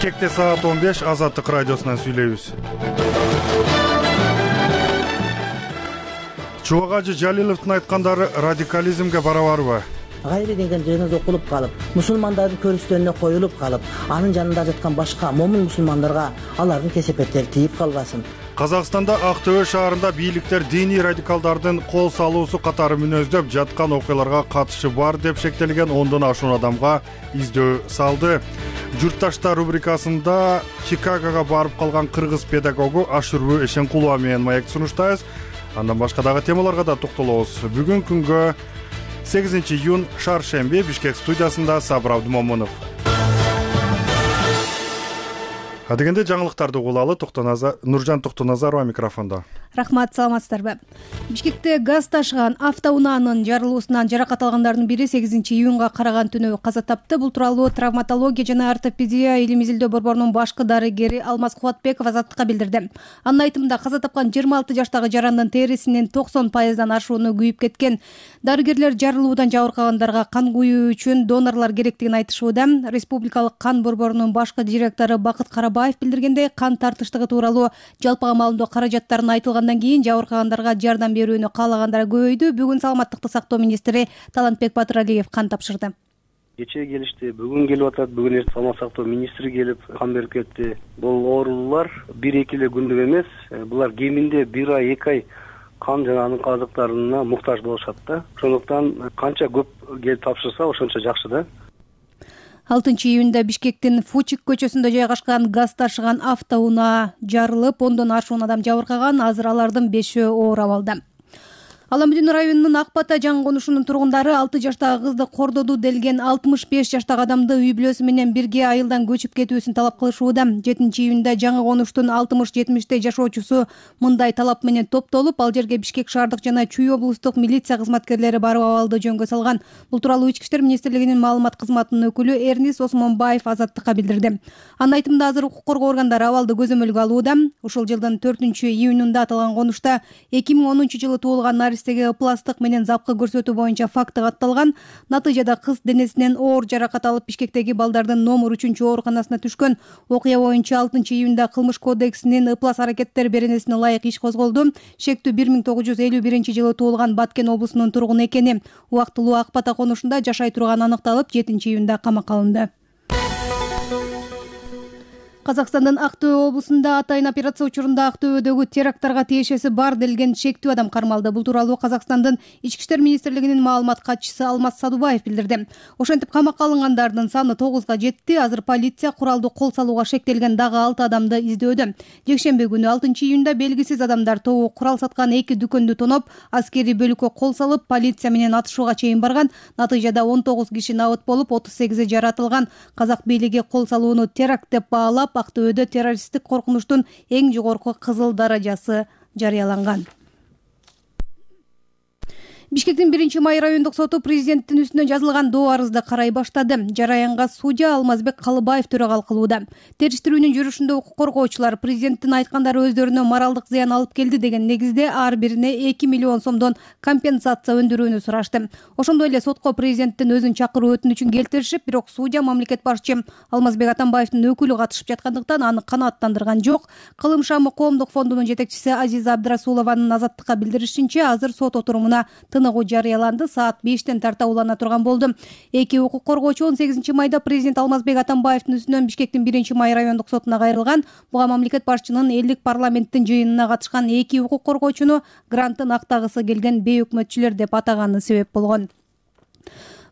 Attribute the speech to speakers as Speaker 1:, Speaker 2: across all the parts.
Speaker 1: Бишкекте саат 15 Азаттык радиосунан сүйлөйбүз. Чубак ажы Жалиловдун айткандары радикализмге барабарбы?
Speaker 2: Гайри деген жаназа окулуп калып, мусулмандардын көрүстөрүнө коюлуп калып, анын жанында жаткан башка момун мусулмандарга алардын кесепеттери тийип калбасын.
Speaker 1: Казакстанда Актөбө шаарында бийликтер диний радикалдардын кол салуусу катары мүнөздөп жаткан окуяларга катышы бар деп шектелген 10дон ашуун адамга издөө салды. Журтташта рубрикасында Чикагого барып калган кыргыз педагогу Ашурбу Эшенкулова менен маек сунуштайбыз. Андан башка дагы темаларга да токтолобуз. Бүгүн күнгө 8-июнь шаршемби, Бишкек студиясында Сабыр Абдумомунов. Адегенде жаңылыктарды угулалы. Нуржан Токтоназарова микрофондо.
Speaker 3: Рахмат, саламатсыздарбы? Бишкекте газ ташыган автоунаанын жарылуусунан жаракат алгандардын бири 8-июнга караган түнү каза тапты. Бул тууралуу травматология жана ортопедия илим изилдөө борборунун башкы дарыгери Алмаз Кубатбеков Азаттыкка билдирди. Анын айтымында каза тапкан 26 жаштагы жарандын терисинин 90%дан ашууну күйүп кеткен. Дарыгерлер жарылуудан жабыркагандарга кан куюу үчүн донорлор керектигин айтышууда. Республикалык кан борборунун башкы директору Бакыт Карабаев билдиргендей, кан тартыштыгы тууралуу жалпыга маалымдоо каражаттарын айтылгандан кийин жабыркагандарга жардам берүүнү каалагандар көбөйдү. Бүгүн саламаттыкты сактоо министри Талантбек Батыралиев кан тапшырды.
Speaker 4: Кечээ келишти, бүгүн келип атат. Бүгүн эртең саламаттык сактоо министри келип кан берип кетти. Бул оорулуулар 1-2 эле күндүк эмес. Булар кеминде 1 ай, 2 ай кан жана анын казыктарына муктаж болушат да. Ошондуктан канча көп келип тапшырса, ошончо жакшы да.
Speaker 3: 6-июнда Бишкектин Фучик көчөсүндө жайгашкан газ ташыган автоунаа жарылып, 10дон ашуун адам жабыркаган. Азыр алардын 5-өө оор абалда. Аламүдүн районунун Акбата жаңы конушунун тургундары 6 жаштагы кызды кордоду делген 65 жаштагы адамды үй бүлөсү менен бирге айылдан көчүп кетүүсүн талап кылышууда. 7-июнда жаңы конуштун 60-70 жашоочусу мындай талап менен топтолуп, ал жерге Бишкек шаардык жана Чүй облустук милиция кызматкерлери барып абалды жөнгө салган. Бул тууралуу Ички иштер министрлигинин маалымат кызматынын өкүлү Эрнис Осмонбаев Азаттыкка билдирди. Анын айтымында азыр укук коргоо органдары абалды көзөмөлгө алууда. Ушул жылдын 4-июнунда аталган конушта 2010-жылы туулган ыпластык менен запкы көрсөтүү боюнча факты катталган. Натыйжада кыз денесинен оор жаракат алып Бишкектеги балдардын номер 3 ооруканасына түшкөн. Окуя боюнча 6-июнда кылмыш кодексинин ыплас аракеттер беренесине ылайык иш козголду. Шектүү 1951-жылы туулган Баткен облусунун тургуну экени убактылуу Акбата конушунда жашай турганы аныкталып, 7-июнда камакка алынды. Казакстандын Актөбө облусунда атайын операция учурунда Актөбөдөгү теракттарга тиешеси бар делген шектүү адам кармалды. Бул тууралуу Казакстандын Ички иштер министрлигинин маалымат катчысы Алмаз Садубаев билдирди. Ошентип камакка алынгандардын саны 9га жетти. Азыр полиция куралды кол салууга шектелген дагы 6 адамды издөөдө. Жекшемби күнү 6-июнда белгисиз адамдар тобу курал саткан 2 дүкөндү тоноп, аскерий бөлүккө кол салып, полиция менен атышууга чейин барган. Натыйжада 19 киши набыт болуп, 38 жаратылган. Казак бийлиги кол салууну теракт деп баалап, Актөбөдө террористтик коркунучтун эң жогорку кызыл даражасы жарыяланган. Бишкектин 1-май райондук соту президенттин үстүнө жазылган доо арызды карай баштады. Жараянга судья Алмазбек Калыбаев төрагалык кылууда. Териштирүүнүн жүрүшүндө укук коргоочулар президенттин айткандары өздөрүнө моралдык зыян алып келди деген негизде ар бирине 2 миллион сомдон компенсация өндүрүүнү сурашты. Ошондой эле сотко президенттин өзүн чакыруу өтүнүчүн келтиришип, бирок судья мамлекет башчы Алмазбек Атамбаевдин өкүлү катышып жаткандыктан аны канааттандырган жок. Кылым шамы коомдук фондунун жетекчиси Азиза Абдрасулованын Азаттыкка билдиришинче, азыр сот отурумуна тыныгуу жарыяланды. Саат 5-тен тарта улана турган болду. Эки укук коргоочу 18-майда президент Алмазбек Атамбаевдин үстүнөн Бишкектин 1-май райондук сотуна кайрылган. Буга мамлекет башчынын элдик парламенттин жыйынына катышкан эки укук коргоочуну грантын актагысы келген бейөкмөтчүлөр деп атаганы себеп болгон.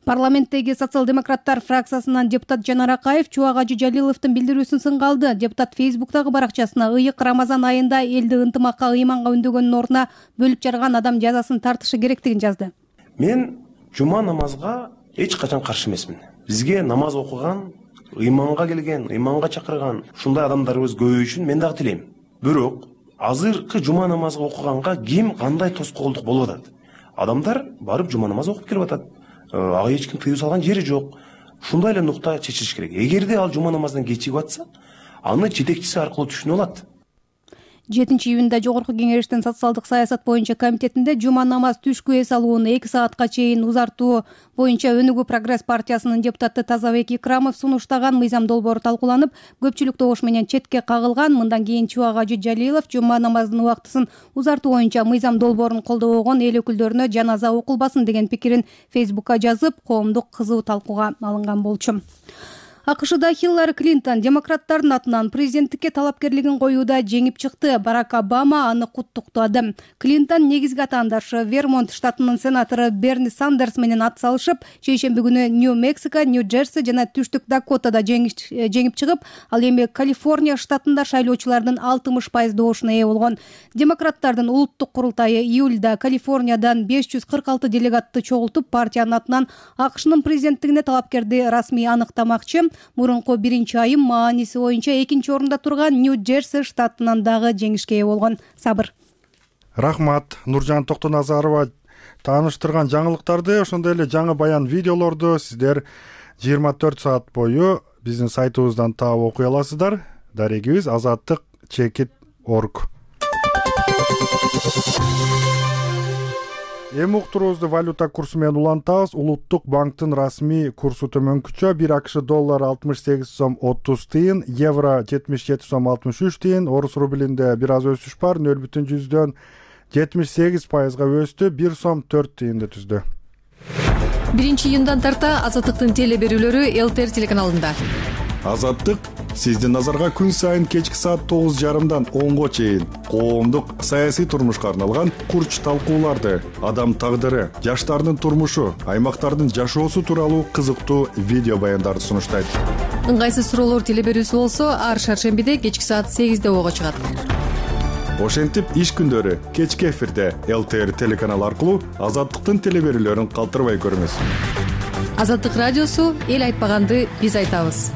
Speaker 3: Парламенттеги социал-демократтар фракциясынан депутат Жанар Акаев Чубак ажы Жалиловдун билдирүүсүн сынга алды. Депутат Фейсбуктагы баракчасына ыйык Рамазан айында элди ынтымакка, ыйманга үндөгөнүн ордуна бөлүп жарган адам жазасын тартышы керектигин жазды.
Speaker 5: Мен жума намазга эч качан каршы эмесмин. Бизге намаз окуган, ыйманга келген, ыйманга чакырган ушундай адамдарыбыз көбөйүшүн мен дагы тилейм. Бирок азыркы жума намазга окуганга ким кандай тоскоолдук болуп атат? Адамдар барып жума намаз окуп келип атат. Ага эч ким тыюу салган жери жок. Ушундай эле нукта чечилиш керек. Эгерде ал жума намаздан кечигип атса, аны жетекчиси аркылуу түшүнүп алат.
Speaker 3: 7-июнда Жогорку Кеңештин социалдык саясат боюнча комитетинде жума намаз түшкү эс алууну 2 саатка чейин узартуу боюнча Өнүгүү Прогресс партиясынын депутаты Тазабек Икрамов сунуштаган мыйзам долбоору талкууланып, көпчүлүк добуш менен четке кагылган. Мындан кийин Чубак Ажы Жалилов жума намазынын убактысын узартуу боюнча мыйзам долбоорун колдобогон эл өкүлдөрүнө жаназа окулбасын деген пикирин Фейсбукка жазып, коомдук кызуу талкууга алынган болчу. АКШда Хиллари Клинтон демократтардын атынан президенттикке талапкерлигин коюуда жеңип чыкты. Барак Обама аны куттуктады. Клинтон негизги атаандашы Вермонт штатынын сенатору Берни Сандерс менен ат салышып, шейшемби күнү Нью-Мексико, Нью-Джерси жана Түштүк Дакотада жеңип чыгып, ал эми Калифорния штатында шайлоочулардын 60% добушуна ээ болгон. Демократтардын улуттук курултайы июлда Калифорниядан 546 делегатты чогултуп, партиянын атынан АКШнын президенттигине талапкерди расмий аныктамакчы. Мурунку 1-айым мааниси боюнча 2-орунда турган Нью-Джерси штатынан дагы жеңишке ээ болгон. Сабыр.
Speaker 1: Рахмат. Нуржан Токтоназарова тааныштырган жаңылыктарды, ошондой эле жаңы баян видеолорду сиздер 24 саат бою биздин сайтыбыздан таап окуй аласыздар. Дарегибиз azаттык.org. Эми уктуруубузду валюта курсу менен улантабыз. Улуттук банктын расмий курсу төмөнкүчө. 1 АКШ доллары 68 сом 30 тыйын, евро 77 сом 63 тыйын, орус рублинде бир аз өсүш бар, 0,78%га өстү, 1 сом 4 тыйынды түздү.
Speaker 6: 1-июндан тарта Азаттыктын теле берүүлөрү ЛТР телеканалында.
Speaker 1: Азаттык сиздин назарга күн сайын кечки саат 9:30дан 10го чейин коомдук саясий турмушка арналган курч талкууларды, адам тагдыры, жаштардын турмушу, аймактардын жашоосу тууралуу кызыктуу видео баяндарды сунуштайт.
Speaker 6: Ыңгайсыз суроолор теле берүүсү болсо, ар шаршембиде кечки саат 8де ого чыгат.
Speaker 1: Ошентип иш күндөрү кечки эфирде ЛТР телеканалы аркылуу Азаттыктын теле берүүлөрүн калтырбай көрүңүз.
Speaker 6: Азаттык радиосу эл айтпаганды биз айтабыз.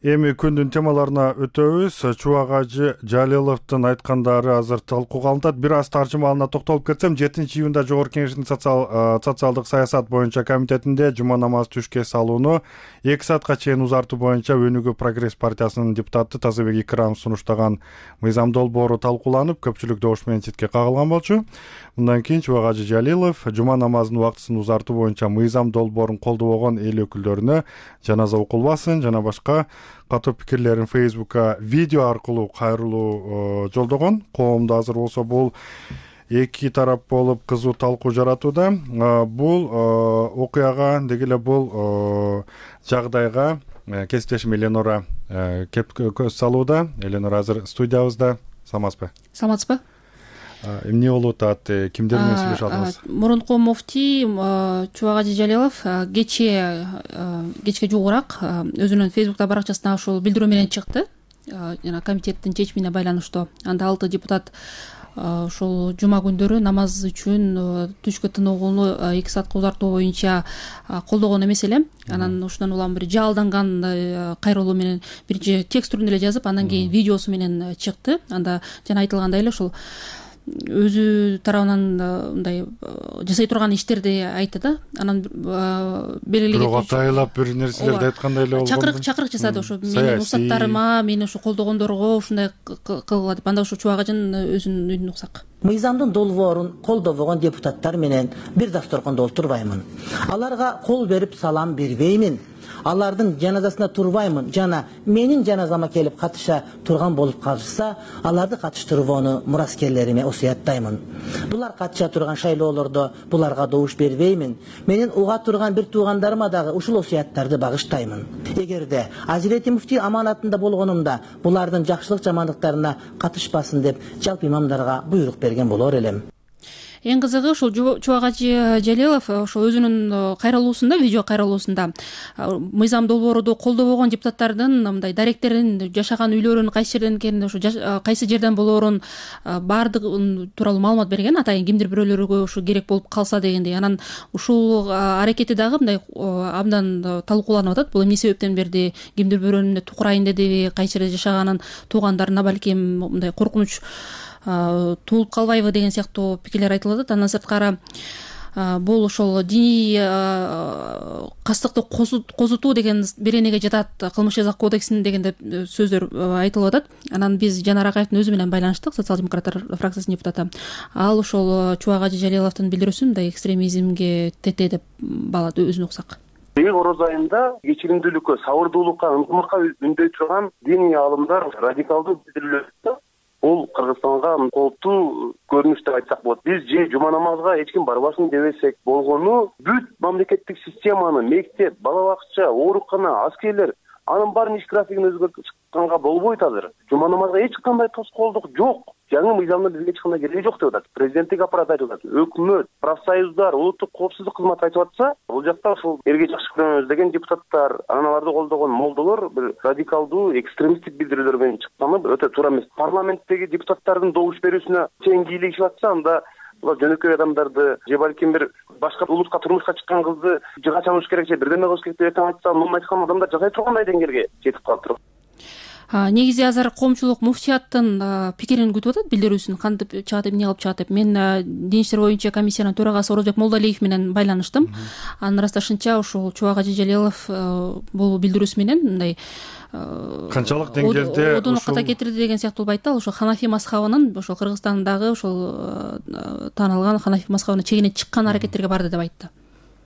Speaker 1: Эми күндүн темаларына өтөбүз. Чубак Ажы Жалиловдун айткандары азыр талкууга алынат. Бир аз таржымалына токтолуп кетсем, 7-июнда Жогорку Кеңештин социалдык саясат боюнча комитетинде жума намаз түшкү эс алууну 2 саатка чейин узартуу боюнча Өнүгүү Прогресс партиясынын депутаты Тазабек Икрамов сунуштаган мыйзам долбоору талкууланып, көпчүлүк добуш менен четке кагылган болчу. Мындан кийин Чубак Ажы Жалилов жума намазынын убактысын узартуу боюнча мыйзам долбоорун колдобогон эл өкүлдөрүнө жаназа окулбасын жана башка катуу пикирлерин Фейсбукка видео аркылуу кайрылуу жолдогон. Коомдо азыр болсо бул эки тарап болуп кызуу талкуу жаратууда. Бул окуяга, деги эле бул жагдайга кесиптешим Эленора кеп көз салууда. Эленора азыр студиябызда. Саламатсызбы?
Speaker 6: Саламатсызбы?
Speaker 1: Эмне болуп атат? Кимдер менен сүйлөшүп атабыз?
Speaker 6: Мурунку муфтий Чубак Ажы Жалилов кечке жугураак өзүнүн Фейсбукта баракчасына ушул билдирүү менен чыкты. Жана комитеттин чечимине байланыштуу. Анда 6 депутат ушул жума күндөрү намаз үчүн түшкү тыныгууну 2 саатка узартуу боюнча колдогон эмес эле. Анан ушундан улам бир жаалданган кайрылуу менен биринчи текст түрүндө эле жазып, андан кийин видеосу менен чыкты. Анда жана айтылгандай эле ушул өзү тарабынан мындай жасай турган иштерди айтты да. Анан белгилеген
Speaker 1: бирок атайлап бир нерселерди айткандай эле болгон.
Speaker 6: Чакырык жасады ошо менин устаттарыма, мени ошо колдогондорго ушундай кылгыла деп. Анда ошо Чубак Ажын өзүнүн уксак.
Speaker 2: Мыйзамдын долбоорун колдобогон депутаттар менен бир дасторкондо отурбаймын. Аларга кол берип салам бербеймин. Алардын жаназасына турбаймын жана менин жаназама келип катыша турган болуп калышса, аларды катыштырууну мураскерлериме осуяттаймын. Булар катыша турган шайлоолордо буларга добуш бербеймин. Менин уга турган бир туугандарыма дагы ушул осуяттарды багыштаймын. Эгерде Азирети муфтий аманатында болгонумда булардын жакшылык жамандыктарына катышпасын деп жалпы имамдарга буйрук берген болор элем.
Speaker 6: Эң кызыгы ушул Чубак Ажы Жалилов ошо өзүнүн кайрылуусунда, видео кайрылуусунда мыйзам долбоорду колдобогон депутаттардын мындай даректерин, жашаган үйлөрүн, кайсы жерден экенин, ошо кайсы жерден болоорун баардыгы тууралуу маалымат берген. Атайын кимдир бирөөлөргө ушу керек болуп калса дегендей. Анан ушул аракети дагы мындай абдан талкууланып атат. Бул эмне себептен берди? Кимдир бирөөнү тукурайын дедиби? Кайсы жерде жашаганын туугандарына балким мындай коркунуч туулуп калбайбы деген сыяктуу пикирлер айтылып атат. Андан сырткары бул ошол диний кастыкты козутуу деген беренеге жатат кылмыш жаза кодексин дегенде сөздөр айтылып атат. Анан биз Жанар Акаевдин өзү менен байланыштык, социал-демократтар фракциясынын депутаты. Ал ошол Чубак Ажи Жалиловдун билдирүүсүн мындай экстремизмге тете деп баалады, өзүнө уксак.
Speaker 5: Ороз айында кечиримдүүлүккө, сабырдуулукка, ынтымакка үндөй турган диний аалымдар радикалдуу билдирүүлөрдө бул Кыргызстанга кооптуу көрүнүш деп айтсак болот. Биз же жума намазга эч ким барбасын дебесек болгону, бүт мамлекеттик системаны, мектеп, бала бакча, оорукана, аскерлер анын баарын иш графигин өзгөрткөнгө болбойт азыр. Жума намазга эч кандай тоскоолдук жок. Жаңы мыйзамдын бизге эч кандай кереги жок деп атат. Президенттик аппарат айтып атат, өкмөт, профсоюздар, улуттук коопсуздук кызматы айтып атса, бул жакта ушул элге жакшы көрөнөбүз деген депутаттар, анан аларды колдогон молдолор бир радикалдуу, экстремисттик билдирүүлөр менен чыкканы өтө туура эмес. Парламенттеги депутаттардын добуш берүүсүнө тең кийлигишип атса, анда булар жөнөкөй адамдарды же балким бир башка улутка турмушка чыккан кызды жыга чалыш керек, же бирдеме кылыш керек деп айтса, муну айткан адамдар жасай тургандай деңгээлге жетип калыптыр.
Speaker 6: Негизи азыр коомчулук муфтияттын пикирин күтүп атат, билдирүүсүн кантип чыгат деп, эмне кылып чыгат деп. Мен дин иштер боюнча комиссиянын төрагасы Орозбек Молдалиев менен байланыштым. Анын ырасташынча ушул Чубак Ажи Жалилов бул билдирүүсү менен мындай
Speaker 1: канчалык деңгээлде
Speaker 6: одону ката кетирди деген сыяктуу айтты. Ал ошол Ханафи мазхабынын ошол Кыргызстандагы ошол тааналган Ханафи мазхабына чегине чыккан аракеттерге барды деп айтты.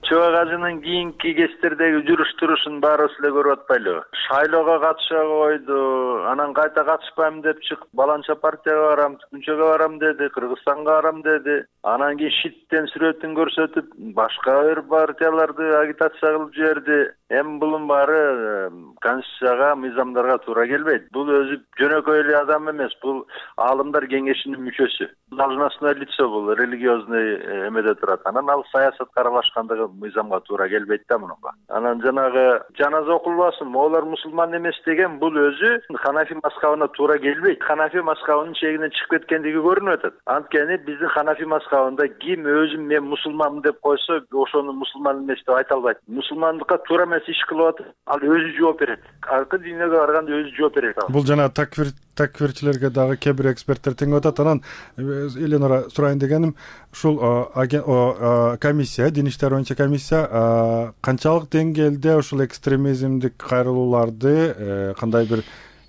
Speaker 7: Чубак Ажынын кийинки кездердеги жүрүш турушун баарыбыз эле көрүп атпайлыбы? Шайлоого катыша койду, анан кайта катышпайм деп чыгып, баланча партияга барам, Күнчөгө барам деди, Кыргызстанга барам деди. Анан кийин шиттен сүрөтүн көрсөтүп, башка бир партияларды агитация кылып жиберди. Эми булун баары конституцияга, мыйзамдарга туура келбейт. Бул өзү жөнөкөй эле адам эмес, бул аалымдар кеңешинин мүчөсү. Должностное лицо, бул религиозный эмеде турат. Анан ал саясатка аралашкандыгы мыйзамга туура келбейт да мунунга. Анан жанагы жаназа окулбасын, олар мусулман эмес деген бул өзү Ханафи мазхабына туура келбейт. Ханафи мазхабынын чегинен чыгып кеткендиги көрүнүп атат. Анткени биздин Ханафи мазхабында ким өзүм мен мусулманмын деп койсо, ошону мусулман эмес деп айта албайт. Мусулмандыкка туура эмес иш кылып атат, ал өзү жооп берет. Аркы дүйнөгө барганда өзү жооп берет.
Speaker 1: Бул жана такфирчилерге дагы кээ бир эксперттер теңеп атат. Анан Эленора сурайын дегеним, ушул комиссия, дин иштер боюнча комиссия канчалык деңгээлде ушул экстремизмдик кайрылууларды кандай бир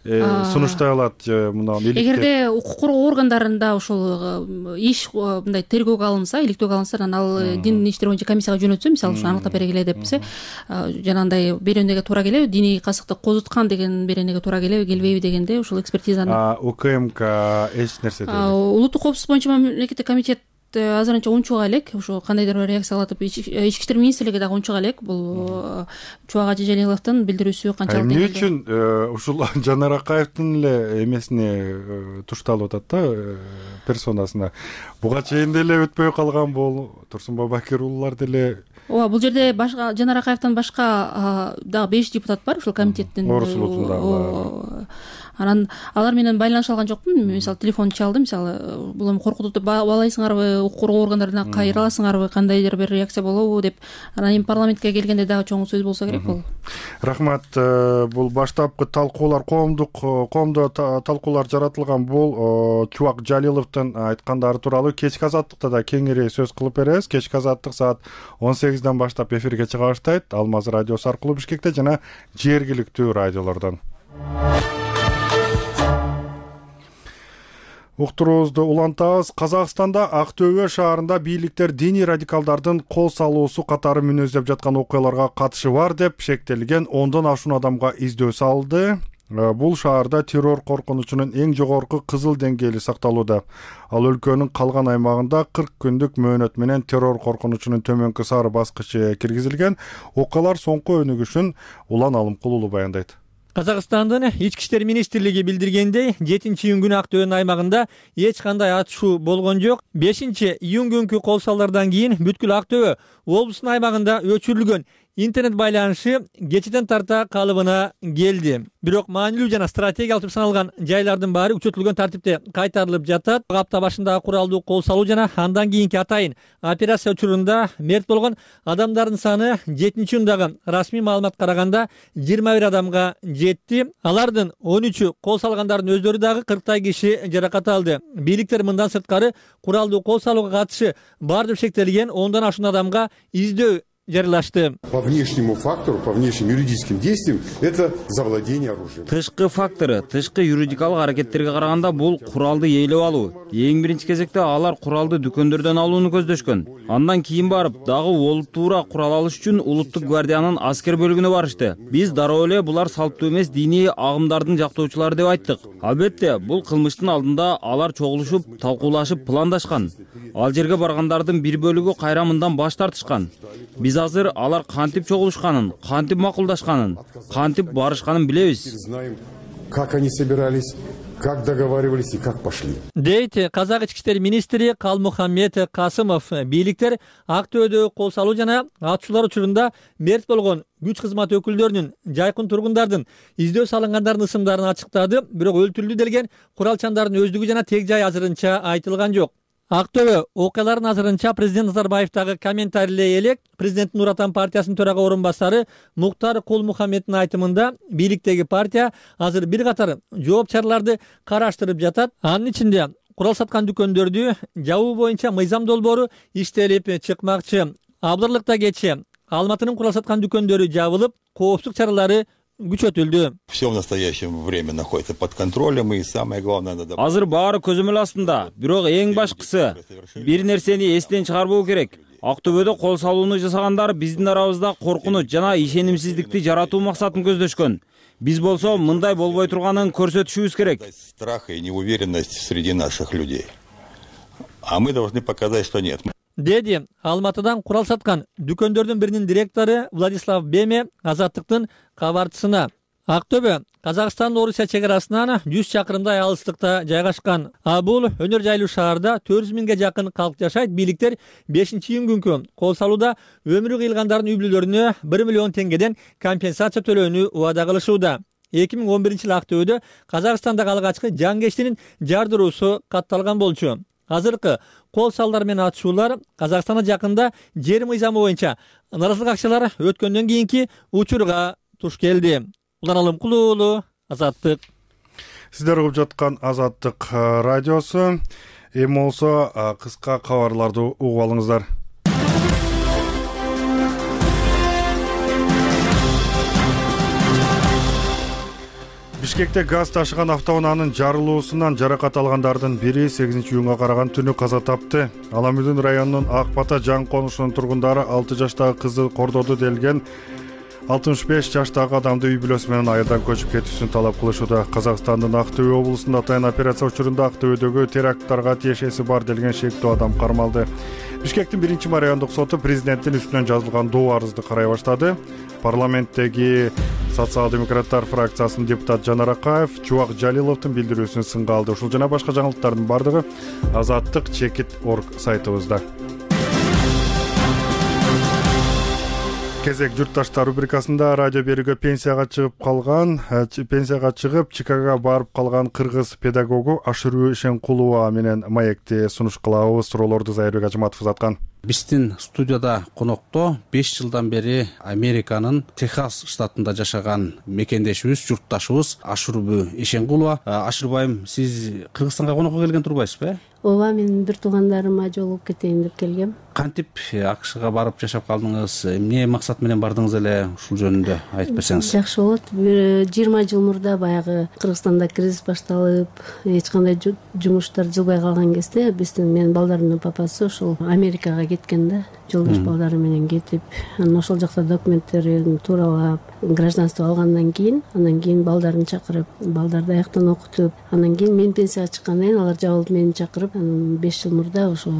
Speaker 1: сунуштай алат мына иликтеп?
Speaker 6: Эгерде укук коргоо органдарында ошол иш мындай тергөөгө алынса, иликтөөгө алынса, анан ал дин иштер боюнча комиссияга жөнөтсө, мисалы ушуну аныктап бергиле депсе, жанагындай беренеге туура келеби, диний касыкты козуткан деген беренеге туура келеби, келбейби дегенде ушул экспертизаны
Speaker 1: УКМК эч нерсе дейт.
Speaker 6: Улуттук коопсуздук боюнча мамлекеттик комитет азырынча унчуга элек, ошо кандайдыр бир реакция кылатып, ички иштер министрлиги дагы унчуга элек бул Чубак Ажи Жалиловдун билдирүүсү канчалык
Speaker 1: эмне үчүн ушул Жанар Акаевдин эле эмесине тушталып атат да, персонасына? Буга чейин деле өтпөй калган бул Турсунбай Бакир уулар деле.
Speaker 6: Ооба, бул жерде башка Жанар Акаевден башка дагы 5 депутат бар ушул комитеттин.
Speaker 1: Орус улутунда.
Speaker 6: Анан алар менен байланыша алган жокмун. Мисалы телефон чалды, мисалы бул эми коркутуп деп баалайсыңарбы, укук коргоо органдарына кайрыласыңарбы, кандайдыр бир реакция болобу деп. Анан эми парламентке келгенде дагы чоң сөз болсо керек бул.
Speaker 1: Рахмат. Бул баштапкы талкуулар, коомдо талкуулар жаратылган бул Чубак Жалиловдун айткандары тууралуу кечки азаттыкта да кеңири сөз кылып беребиз. Кечки азаттык саат 18ден баштап эфирге чыга баштайт. Алмаз радиосу аркылуу Бишкекте жана жергиликтүү радиолордон. Уктуруубузду улантабыз. Казакстанда Актөбө шаарында бийликтер диний радикалдардын кол салуусу катары мүнөздөп жаткан окуяларга катышы бар деп шектелген 10дон ашуун адамга издөө салды. Бул шаарда террор коркунучунун эң жогорку кызыл деңгээли сакталууда. Ал өлкөнүн калган аймагында 40 күндүк мөөнөт менен террор коркунучунун төмөнкү сары баскычы киргизилген. Окуялар соңку өнүгүшүн Улан Алымкулуу баяндайт.
Speaker 8: Казакстандын ички иштер министрлиги билдиргендей, 7-июнь күнү Актөбөнүн аймагында эч кандай атышуу болгон жок. 5-июнь күнкү кол салуулардан кийин бүткүл Актөбө облусунун аймагында өчүрүлгөн интернет байланышы кечеден тарта калыбына келди. Бирок маанилүү жана стратегиялык деп саналган жайлардын баары күчөтүлгөн тартипте кайтарылып жатат. Апта башындагы куралдуу кол салуу жана андан кийинки атайын операция учурунда мерт болгон адамдардын саны 7-июндагы расмий маалыматка караганда 21 адамга жетти. Алардын 13-ü кол салгандардын өздөрү дагы 40 киши жаракат алды. Бийликтер мындан сырткары куралдуу кол салууга катышы бар деп шектелген 10дан ашуун адамга издөө жарыялашты.
Speaker 9: По внешнему фактору, по внешним юридическим действиям это завладение оружием.
Speaker 10: Тышкы фактору, тышкы юридикалык аракеттерге караганда бул куралды ээлеп алуу. Эң биринчи кезекте алар куралды дүкөндөрдөн алууну көздөшкөн. Андан кийин барып дагы олуттуура курал алыш үчүн улуттук гвардиянын аскер бөлүгүнө барышты. Биз дароо эле булар салттуу эмес диний агымдардын жактоочулары деп айттык. Албетте, бул кылмыштын алдында алар чогулушуп, талкуулашып, пландашкан. Ал жерге баргандардын бир бөлүгү кайра мындан баш тартышкан. Биз азыр алар кантип чогулушканын, кантип макулдашканын, кантип барышканын билебиз.
Speaker 9: Знаем, как они собирались, как договаривались и как пошли.
Speaker 8: Дейт Казак ички иштер министри Калмухаммед Касымов. Бийликтер Актөөдө кол салуу жана атышуулар учурунда мерт болгон күч кызмат өкүлдөрүнүн, жайкын тургундардын, издөө салынгандардын ысымдарын ачыктады, бирок өлтүрүлдү делген куралчандардын өздүгү жана тег жай азырынча айтылган жок. Актөбө окуяларын азырынча президент Назарбаевдагы комментарийлей элек президенттин Нур Отан партиясынын төрага орун басары Муктар Кул-Мухаммеддин айтымында бийликтеги партия азыр бир катар жооп чараларды караштырып жатат. Анын ичинде курал саткан дүкөндөрдү жабуу боюнча мыйзам долбоору иштелип чыкмакчы. Абдырлыкта кечээ Алматынын курал саткан дүкөндөрү жабылып, коопсуздук чаралары күчөтүлдү.
Speaker 11: Все в настоящее время находится под контролем, и самое главное надо.
Speaker 10: Азыр баары көзөмөл астында, бирок эң башкысы бир нерсени эстен чыгарбоо керек. Актөбөдө кол салууну жасагандар биздин арабызда коркунуч жана ишенимсиздикти жаратуу максатын көздөшкөн. Биз болсо мындай болбой турганын көрсөтүшүбүз керек.
Speaker 11: Страх и неуверенность среди наших людей. А мы должны показать, что нет.
Speaker 8: Деди Алматыдан курал саткан дүкөндөрдүн биринин директору Владислав Беме Азаттыктын кабарчысына. Актөбө Казакстан Орусия чекарасынан 100 чакырымдай алыстыкта жайгашкан. Бул өнөр жайлуу шаарда 400 миңге жакын калк жашайт. Бийликтер 5-июнь күнкү кол салууда өмүрү кыйылгандардын үй бүлөлөрүнө 1 миллион теңгеден компенсация төлөөнү убада кылышууда. 2011-жылы Актөбөдө Казакстандагы алгачкы жангештинин жардыруусу катталган болчу. Азыркы кол салдар менен атышуулар Казакстанда жакында жер мыйзамы боюнча наразылык акциялары өткөндөн кийинки учурга туш келди. Улан Алымкулуу уулу, Азаттык.
Speaker 1: Сиздер угуп жаткан Азаттык радиосу. Эми болсо кыска кабарларды угуп алыңыздар. Бишкекте газ ташыган автоунаанын жарылуусунан жаракат алгандардын бири 8-июнга караган түнү каза тапты. Аламүдүн районунун Ак Бата жаң конушунун тургундары 6 жаштагы кызды кордоду делген 65 жаштагы адамды үй бүлөсү менен айылдан көчүп кетүүсүн талап кылышууда. Казакстандын Актөбө облусунда атайын операция учурунда Актөбөдөгү теракттарга тиешеси бар делген шектүү адам кармалды. Бишкектин 1-чи райондук соту президенттин үстүнөн жазылган доо арызды карай баштады. Парламенттеги социал-демократтар фракциясынын депутаты Жанар Акаев Чубак Жалиловдун билдирүүсүн сынга алды. Ушул жана башка жаңылыктардын бардыгы Азаттык.org сайтыбызда. Кезек журтташтар рубрикасында радио берүүгө пенсияга чыгып Чикагога барып калган кыргыз педагогу Ашыруу Ишенкулова менен маекти сунуш кылабыз. Суроолорду Зайырбек Ажыматов узаткан.
Speaker 12: Биздин студияда конокто 5 жылдан бери Американын Техас штатында жашаган мекендешибиз, журтташыбыз Ашыруу Ишенкулова. Ашырбайым, сиз Кыргызстанга конокко келген турбайсызбы?
Speaker 13: Ооба, мен бир туугандарыма жолугуп кетейин деп келгем.
Speaker 12: Кантип АКШга барып жашап калдыңыз? Эмне максат менен бардыңыз эле? Ушул жөнүндө айтып берсеңиз.
Speaker 13: Жакшы болот. 20 жыл мурда баягы Кыргызстанда кризис башталып, эч кандай жумуштар жылбай калган кезде биздин менин балдарымдын папасы ошол Америкага кеткен да. Жолдош балдары менен кетип, анан ошол жакта документтерин тууралап, гражданство алгандан кийин балдарын чакырып, балдарды аяктан окутуп, анан кийин мен пенсияга чыккандан кийин алар жабылып мени чакырып, 5 жыл мурда ошо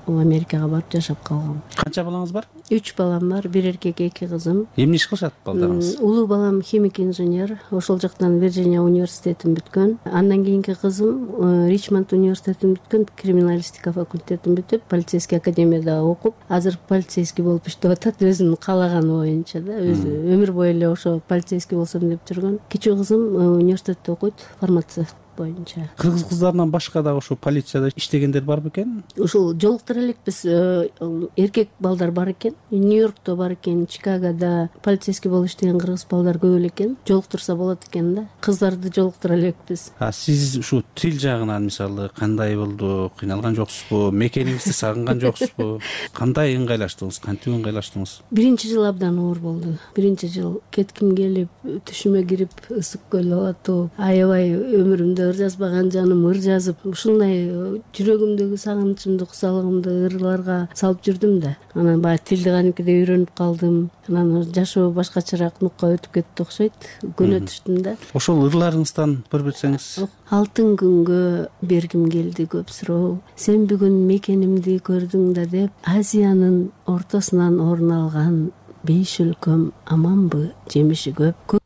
Speaker 13: Америкага барып жашап калгам.
Speaker 12: Канча балаңыз бар?
Speaker 13: 3 балам бар, бир эркек, 2 кызым.
Speaker 12: Эмне иш кылышат балдарыңыз?
Speaker 13: Улуу балам химик инженер, ошол жактан Вирджиния университетин бүткөн. Андан кийинки кызым Ричмонд университетин бүткөн, криминалистика факультетин бүтүп, полицейский академияда окуп, азыр полицейский болуп иштеп атат, өзүнүн каалаганы боюнча да, өзү өмүр бою эле ошо полицейский болсом деп жүргөн. Кичүү кызым университетте окуйт, фармацевт боюнча.
Speaker 12: Кыргыз кыздарынан башка дагы ошо полицияда иштегендер бар бекен?
Speaker 13: Ушул жолуктура элекпиз. Эркек балдар бар экен, Нью-Йоркто бар экен, Чикагода полицейский болуп иштеген кыргыз балдар көп эле экен. Жолуктурса болот экен да. Кыздарды жолуктура элекпиз.
Speaker 12: Сиз ушу тил жагынан мисалы кандай болду? Кыйналган жоксузбу? Мекениңизди сагынган жоксузбу? Кандай ыңгайлаштыңыз? Кантип ыңгайлаштыңыз?
Speaker 13: Биринчи жыл абдан оор болду. Биринчи жыл кетким келип, түшүмө кирип, ысык көл алатуу, аябай өмүрүмдө ыр жазбаган жаным ыр жазып, ушундай жүрөгүмдөгү сагынычымды, кусалыгымды ырларга салып жүрдүм да. Анан баягы тилди кадимкидей үйрөнүп калдым. Анан жашоо башкачараак нукка өтүп кетти окшойт. Көнө түштүм да.
Speaker 12: Ошол ырларыңыздан бир берсеңиз.
Speaker 13: Алтын күнгө бергим келди көп суроо. Сен бүгүн мекенимди көрдүң да деп, Азиянын ортосунан орун алган 5 өлкөм аманбы, жемиши көп.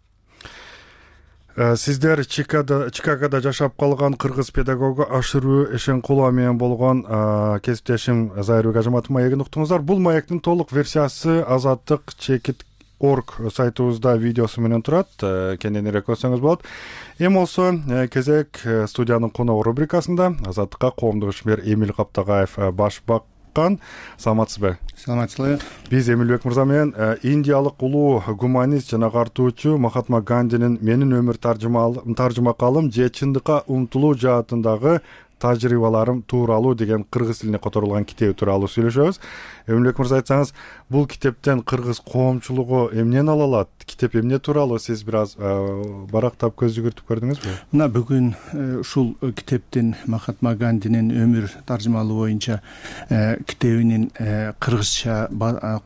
Speaker 1: Сиздер Чикагода жашап калган кыргыз педагогу Ашырбү Эшенкулова менен болгон кесиптешим Зайырбек Ажыматов маегин уктуңуздар. Бул маектин толук версиясы Азаттык Чекит.org сайтыбызда видеосу менен турат. Кененирээк көрсөңүз болот. Эми болсо кезек студиянын коногу рубрикасында Азаттыкка коомдук ишмер Эмил Каптагаев баш баккан. Саламатсызбы?
Speaker 14: Саламатсызбы.
Speaker 1: Биз Эмилбек мырза менен индиялык улуу гуманист жана картуучу Махатма Гандинин «Менин өмүр таржымакалым же чындыкка умтулуу жаатындагы тажрыйбаларым тууралуу» деген кыргыз тилине которулган китеби тууралуу сүйлөшөбүз. Эмилбек мырза, айтсаңыз, бул китептен кыргыз коомчулугу эмнени ала алат? Китеп эмне тууралуу? Сиз бир аз барактап көз жүгүртүп көрдүңүзбү?
Speaker 14: Мына бүгүн ушул китептин Махатма Гандинин өмүр таржымалуу боюнча китебинин кыргызча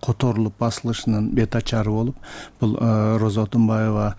Speaker 14: которулуп басылышынын бет ачары болуп, бул Роза Отунбаева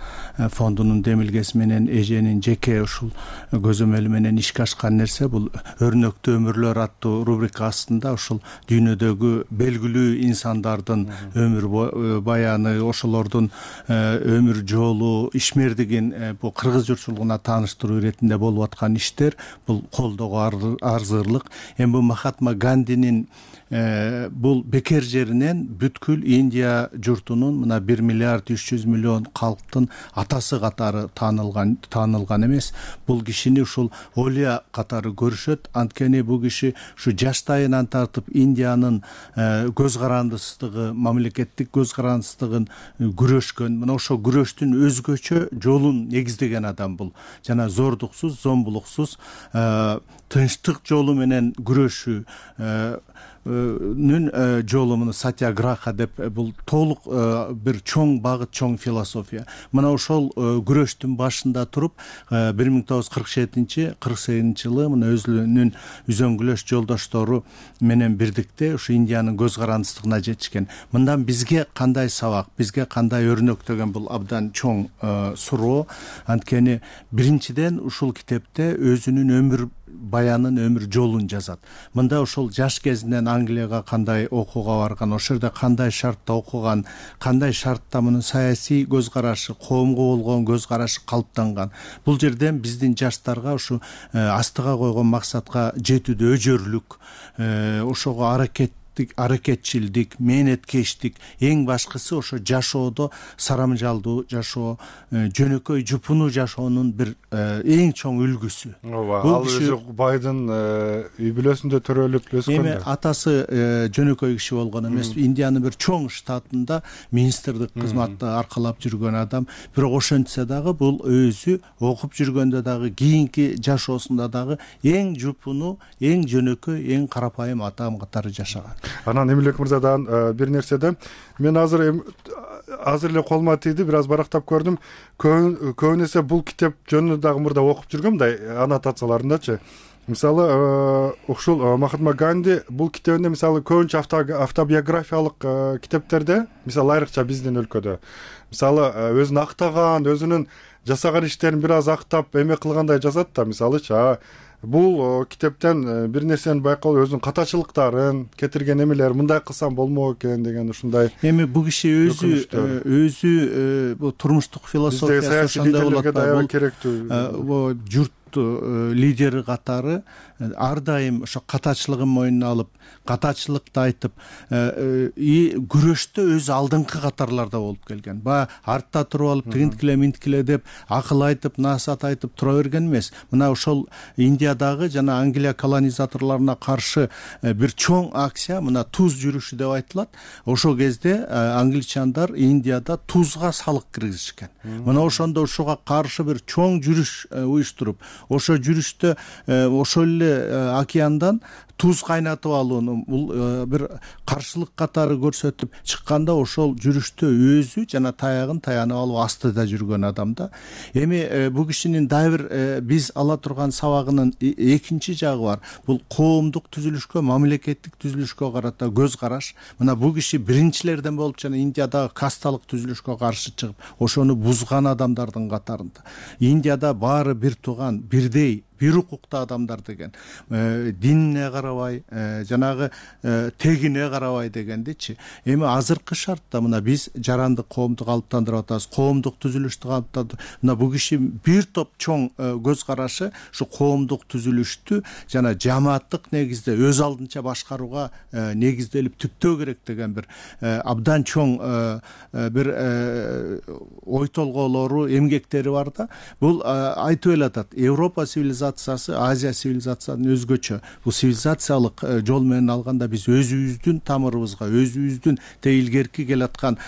Speaker 14: фондунун демилгеси менен эженин жеке ушул көзөмөлү менен ишке ашкан нерсе. Бул Өрнөктүү өмүрлөр аттуу рубрика астында ушул дүйнөдөгү белгилүү инсандардын өмүр баяны, ошолордун өмүр жолу, ишмердигин бул кыргыз журтчулугуна тааныштыруу иретинде болуп аткан иштер, бул колдоого арзырлык. Эми бул Махатма Гандинин бул бекер жеринен бүткүл Индия журтунун мына 1 миллиард 300 миллион калктын атасы катары таанылган эмес. Бул кишини ушул Олия катары көрүшөт. Анткени бул киши ушу жаштайынан тартып Индиянын көз карандысыздыгы, мамлекеттик көз карандысыздыгын күрөшкөн. Мына ошо күрөштүн өзгөчө жолун негиздеген адам бул. Жана зордуксуз, зомбулуксуз тынчтык жолу менен күрөшүү жолу, муну сатьяграха деп, бул толук бир чоң багыт, чоң философия. Мына ошол күрөштүн башында туруп 1947-48 жылы мына өзүнүн үзөңгүлөш жолдоштору менен бирдикте ушу Индиянын көз карандысыздыгына жетишкен. Мындан бизге кандай сабак, бизге кандай өрнөк деген бул абдан чоң суроо. Анткени биринчиден ушул китепте өзүнүн өмүр баянын, өмүр жолун жазат. Мында ошол жаш кезинен Англияга кандай окууга барган, ошол жерде кандай шартта окуган, кандай шартта мунун саясий көз карашы, коомго болгон көз карашы калыптанган. Бул жерден биздин жаштарга ушу астыга койгон максатка жетүүдө өжөрлүк, ошого аракетчилдик, мээнеткечтик, эң башкысы ошо жашоодо сарамжалдуу жашоо, жөнөкөй жупунуу жашоонун бир эң чоң үлгүсү.
Speaker 1: Ал өзү байдын үй бүлөсүндө төрөлүп өскөн.
Speaker 14: Эми атасы жөнөкөй киши болгон эмес, Индиянын бир чоң штатында министрлик кызматты аркалап жүргөн адам. Бирок ошентсе дагы бул өзү окуп жүргөндө дагы, кийинки жашоосунда дагы эң жупунуу, эң жөнөкөй, эң карапайым адам катары жашаган.
Speaker 1: Анан Эмилбек мырзадан бир нерседе мен азыр эле колума тийди, бир аз барактап көрдүм. Көбүн эсе бул китеп жөнүндө дагы мурда окуп жүргөм да, аннотацияларындачы. Мисалы, ушул Махатма Ганди бул китебинде мисалы көбүнчө автобиографиялык китептерде, мисалы айрыкча биздин өлкөдө, мисалы өзүн актаган, өзүнүн жасаган иштерин бир аз актап эме кылгандай жазат да, мисалычы. Бул китептен бир нерсени байкалып, өзүнүн катачылыктарын, кетирген эмелер, мындай кылсам болмок экен деген ушундай.
Speaker 14: Эми бул киши өзү бул турмуштук философиясы ошондой болот да.
Speaker 1: Бул керектүү.
Speaker 14: Бул лидери катары ар дайым ошо катачылыгын мойнуна алып, катачылыкты айтып, күрөштө өз алдыңкы катарларда болуп келген. Баягы артта туруп алып, тигинткиле минткиле деп акыл айтып, насаат айтып тура берген эмес. Мына ошол Индиядагы жана Англия колонизаторлоруна каршы бир чоң акция, мына туз жүрүшү деп айтылат. Ошол кезде англичандар Индияда тузга салык киргизишкен. Мына ошондо ошого каршы бир чоң жүрүш уюштуруп, ошо жүрүштө ошол эле океандан туз кайнатып алууну бул бир каршылык катары көрсөтүп чыкканда, ошол жүрүштө өзү жана таягын таянып алып астыда жүргөн адам да. Эми бул кишинин дагы бир биз ала турган сабагынын экинчи жагы бар. Бул коомдук түзүлүшкө, мамлекеттик түзүлүшкө карата көз караш. Мына бул киши биринчилерден болуп жана Индиядагы касталык түзүлүшкө каршы чыгып, ошону бузган адамдардын катарында. Индияда баары бир тууган, бирдей, бир укуктуу адамдар деген, динине карабай, жанагы тегине карабай дегендичи. Эми азыркы шартта мына биз жарандык коомду калыптандырып атабыз, коомдук түзүлүштү калыптандырып. Мына бул киши бир топ чоң көз карашы ушу коомдук түзүлүштү жана жамааттык негизде өз алдынча башкарууга негизделип түптөө керек деген бир абдан чоң бир ой толгоолору, эмгектери бар да. Бул айтып элатат, Европа цивилизациясы, Азия цивилизациясынан өзгөчө. Бул цивилизациялык жол менен алганда биз өзүбүздүн тамырыбызга, өзүбүздүн илгерки келаткан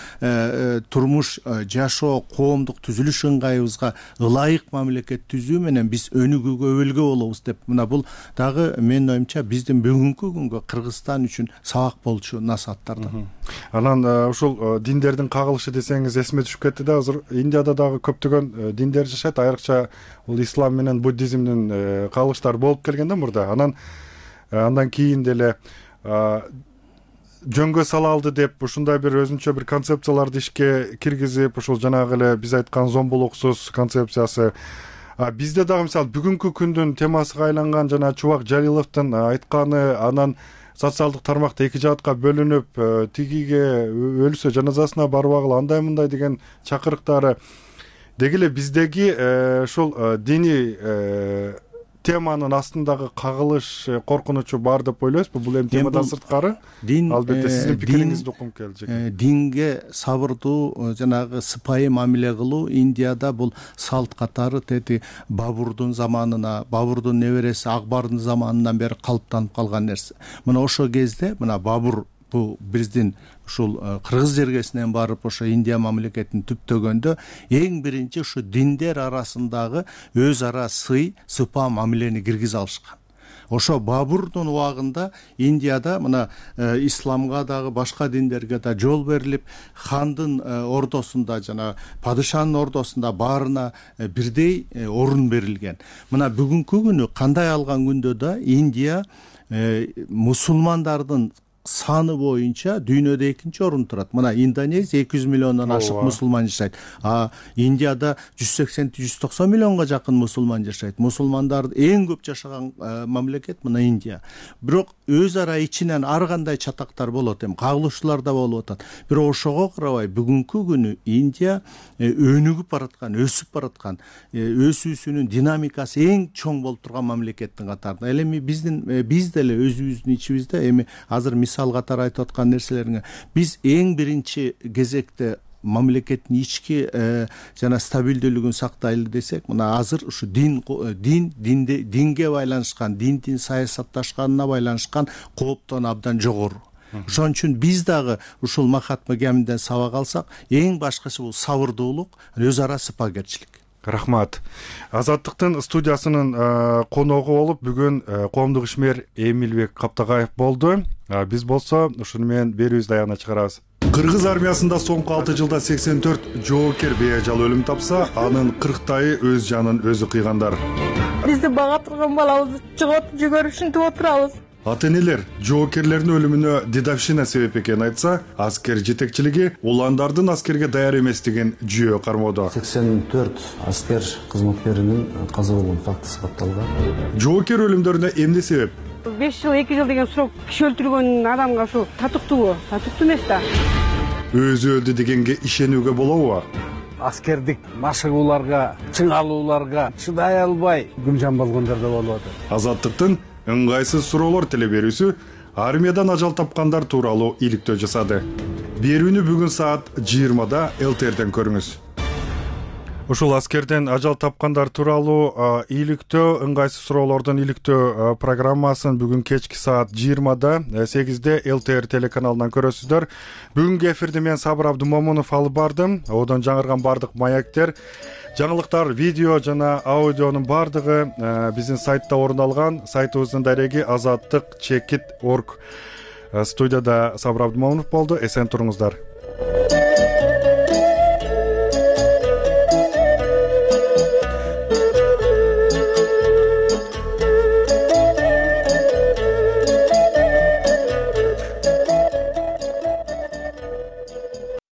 Speaker 14: турмуш, жашоо, коомдук түзүлүш ыңгайыбызга ылайык мамлекет түзүү менен биз өнүгүүгө, өбөлгө болобуз деп. Мына бул дагы менин оюмча биздин бүгүнкү күнгө Кыргызстан үчүн сабак болчу насааттар да.
Speaker 1: Анан ушул диндердин кагылышы десеңиз эсиме түшүп кетти да. Азыр Индияда дагы көптөгөн диндер жашайт, айрыкча бул ислам менен буддизмдин кагылыштары болуп келген да мурда. Андан кийин деле жөнгө сала алды деп ушундай бир өзүнчө бир концепцияларды ишке киргизип, ушул жанагы эле биз айткан зомбулуксуз концепциясы. Бизде дагы мисалы бүгүнкү күндүн темасына айланган жана Чубак Жалиловдун айтканы, анан социалдык тармакта эки жаатка бөлүнүп, тигиге өлсө жаназасына барбагыла, андай мындай деген чакырыктары деги эле биздеги ушул диний теманын астындагы кагылыш, коркунучу бар деп ойлойсузбу? Бул эми темадан сырткары. Албетте сиздин пикириңизди уккум келди.
Speaker 14: Динге сабырдуу, жанагы сыпайы мамиле кылуу Индияда бул салт катары тети Бабурдун заманына, Бабурдун небереси Акбардын заманынан бери калыптанып калган нерсе. Мына ошол кезде мына Бабур бул биздин ушул кыргыз жергесинен барып ошо Индия мамлекетин түптөгөндө эң биринчи ушу диндер арасындагы өз ара сыпа мамилени киргизе алышкан. Ошо Бабурдун убагында Индияда мына исламга дагы башка диндерге да жол берилип, хандын ордосунда жана падышанын ордосунда баарына бирдей орун берилген. Мына бүгүнкү күнү кандай алган күндө да Индия мусулмандардын саны боюнча дүйнөдө экинчи орун турат. Мына Индонезия 200 миллиондон ашык мусулман жашайт. Индияда 180-190 миллионго жакын мусулман жашайт. Мусулмандар эң көп жашаган мамлекет мына Индия. Бирок өз ара ичинен ар кандай чатактар болот, кагылышуулар да болуп атат. Бирок ошого карабай бүгүнкү күнү Индия өнүгүп бараткан, өсүп бараткан, өсүүсүнүн динамикасы эң чоң болуп турган мамлекеттин катарында. Эми биз деле өзүбүздүн ичибизде эми азыр мисал катары айтып аткан нерселериңе биз эң биринчи кезекте мамлекеттин ички жана стабилдүүлүгүн сактайлы десек, мына азыр ушу динге байланышкан, диндин саясатташканына байланышкан кооптон абдан жогору. Ошон үчүн биз дагы ушул Махатма Гандиден сабак алсак, эң башкысы бул сабырдуулук, өз ара сыпагерчилик.
Speaker 1: Рахмат. Азаттыктын студиясынын коногу болуп бүгүн коомдук ишмер Эмилбек Каптагаев болду. Биз болсо ушуну менен берүүбүздү аягына чыгарабыз. Кыргыз армиясында соңку 6 жылда 84 жоокер бейажал өлүм тапса, анын 40тайы өз жанын өзү кыйгандар.
Speaker 15: Бизди бага турган балабызды чыгып жүгөрүп ушинтип отурабыз.
Speaker 1: Ата-энелер жоокерлердин өлүмүнө дедовщина себеп экенин айтса, аскер жетекчилиги уландардын аскерге даяр эместигин жүйө кармоодо.
Speaker 16: 84 аскер кызматкеринин каза болгон фактысы катталган.
Speaker 1: Жоокер өлүмдөрүнө эмне себеп?
Speaker 15: 5 жыл 2 жыл деген срок киши өлтүргөн адамга ушу татыктуубу? Татыктуу эмес да.
Speaker 1: Өзү өлдү дегенге ишенүүгө болобу?
Speaker 12: аскердик машыгууларга, чыңалууларга чыдай албай күмжан болгондор да болуп атат.
Speaker 1: Азаттыктын ыңгайсыз суроолор теле берүүсү армиядан ажал тапкандар тууралуу иликтөө жасады. Берүүнү бүгүн саат 20-да ЛТРден көрүңүз. Ушул аскерден ажал тапкандар тууралуу иликтөө, ыңгайсыз суроолордун иликтөө программасын бүгүн кечки саат 20-да 8-де ЛТР телеканалынан көрөсүздөр. Бүгүнкү эфирди мен Сабыр Абдумомунов алып бардым. Одон жаңырган бардык маектер, жаңылыктар, видео жана аудионун бардыгы биздин сайтта орун алган. Сайтыбыздын дареги azаттык.org. Студияда Сабыр Абдумомунов болду. Эсен туруңуздар.